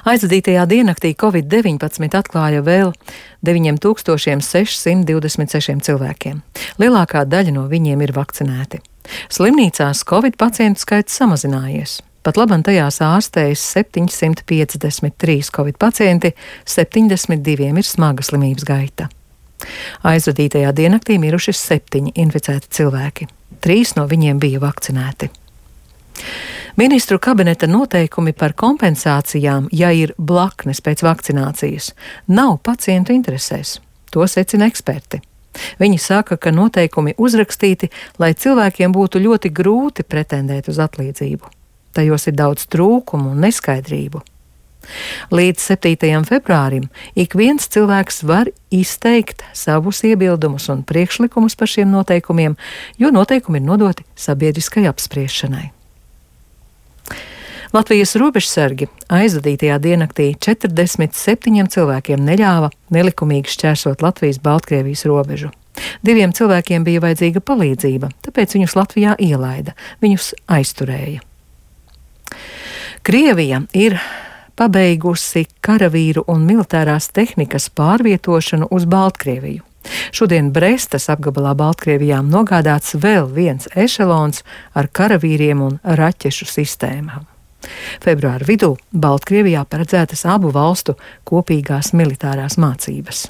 Aizvadītajā diennaktī Covid-19 atklāja vēl 9626 cilvēkiem. Lielākā daļa no viņiem ir vakcinēti. Slimnīcās Covid pacientu skaits samazinājies. Pat labam tajās ārstējas 753 Covid pacienti, 72 ir smaga slimības gaita. Aizvadītajā diennaktī miruši 7 inficēti cilvēki. 3 no viņiem bija vakcinēti. Ministru kabineta noteikumi par kompensācijām, ja ir blaknes pēc vakcinācijas, nav pacientu interesēs. To secina eksperti. Viņi saka, ka noteikumi uzrakstīti, lai cilvēkiem būtu ļoti grūti pretendēt uz atlīdzību. Tajos ir daudz trūkumu un neskaidrību. Līdz 7. februārim ik viens cilvēks var izteikt savus iebildumus un priekšlikumus par šiem noteikumiem, jo noteikumi ir nodoti sabiedriskai apspriešanai. Latvijas robežsargi aizvadītajā diennaktī 47 cilvēkiem neļāva nelikumīgi šķērsot Latvijas-Baltkrievijas robežu. 2 cilvēkiem bija vajadzīga palīdzība, tāpēc viņus Latvijā ielaida, viņus aizturēja. Krievija ir pabeigusi karavīru un militārās tehnikas pārvietošanu uz Baltkrieviju. Šodien Brestas apgabalā Baltkrievijā nogādāts vēl viens ešelons ar karavīriem un raķešu sistēmām. Februāra vidū Baltkrievijā paredzētas abu valstu kopīgās militārās mācības.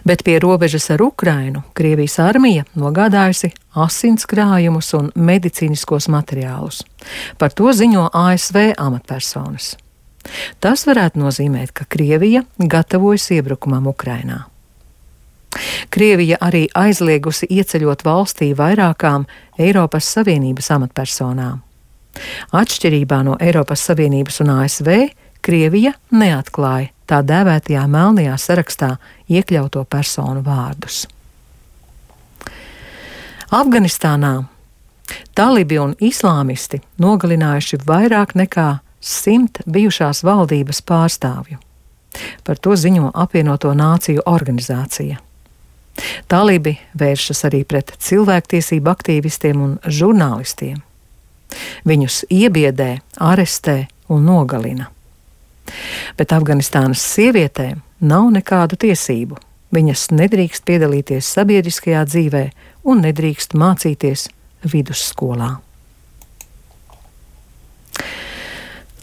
Bet pie robežas ar Ukrainu Krievijas armija nogādājusi asinskrājumus un medicīniskos materiālus. Par to ziņo ASV amatpersonas. Tas varētu nozīmēt, ka Krievija gatavojas iebrukumam Ukrainā. Krievija arī aizliegusi ieceļot valstī vairākām Eiropas Savienības amatpersonām. Atšķirībā no Eiropas Savienības un ASV, Krievija neatklāja tā dēvētajā melnajā sarakstā iekļauto personu vārdus. Afganistānā talibi un islāmisti nogalinājuši vairāk nekā 100 bijušās valdības pārstāvju. Par to ziņo Apvienoto Nāciju organizācija. Talibi vēršas arī pret cilvēktiesību aktīvistiem un žurnālistiem. Viņus iebiedē, arestē un nogalina. Bet Afganistānas sievietēm nav nekādu tiesību. Viņas nedrīkst piedalīties sabiedriskajā dzīvē un nedrīkst mācīties vidusskolā.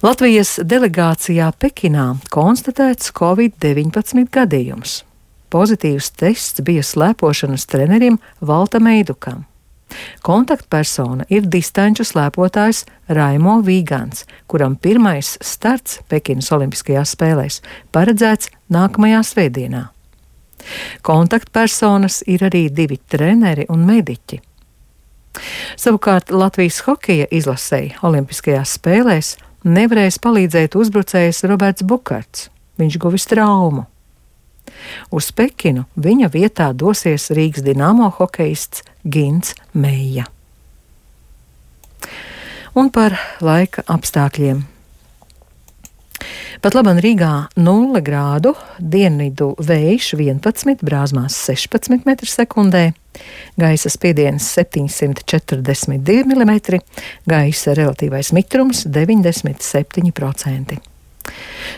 Latvijas delegācijā Pekinā konstatēts Covid-19 gadījums. Pozitīvs tests bija slēpošanas trenerim Valtam Eidukam. Kontaktpersona ir distanču slēpotājs Raimo Vīgants, kuram pirmais starts Pekinas Olimpiskajās spēlēs paredzēts nākamajā svētdienā. Kontaktpersonas ir arī 2 treneri un mediķi. Savukārt Latvijas hokeja izlasei Olimpiskajās spēlēs nevarēs palīdzēt uzbrucējs Roberts Bukarts. Viņš guvis traumu. Uz Pekinu viņa vietā dosies Rīgas Dinamo hokeists Gints Meija. Un par laika apstākļiem. Pat labam Rīgā 0 grādu, dienvidu vējš 11, brāzmās 16 m/sekundē, gaisa spiediens 742 mm, gaisa relatīvais mitrums 97%.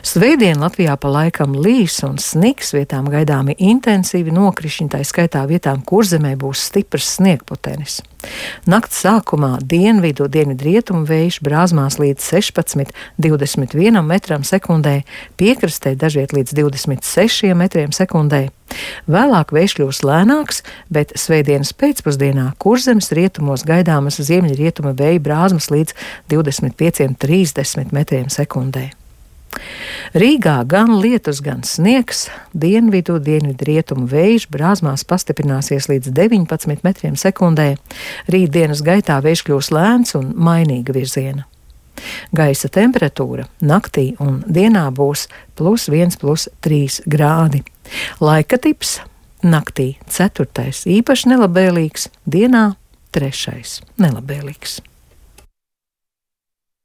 Svētdien Latvijā pa laikam līs un sniks, vietām gaidāmi intensīvi nokrišņi, tā skaitā vietām Kurzemē būs stiprs sniegputenis. Nakts sākumā dienvidrietumu vējš brāzmās līdz 16–21 m/sekundē, piekrastē dažviet līdz 26 m/sekundē. Vēlāk vējš kļūs lēnāks, bet svētdienas pēcpusdienā Kurzemes rietumos gaidāmas ziemeļrietuma vēja brāzmas līdz 25–30 m/sekundē. Rīgā gan lietus, gan sniegs, dienvidrietumu vējš brāzmās pastiprināsies līdz 19 m/sekundē. Rītdienas gaitā vējš kļūs lēns un mainīga virziena. Gaisa temperatūra naktī un dienā būs +1, +3 grādi. Laika tips naktī 4. īpaši nelabvēlīgs, dienā 3. nelabvēlīgs.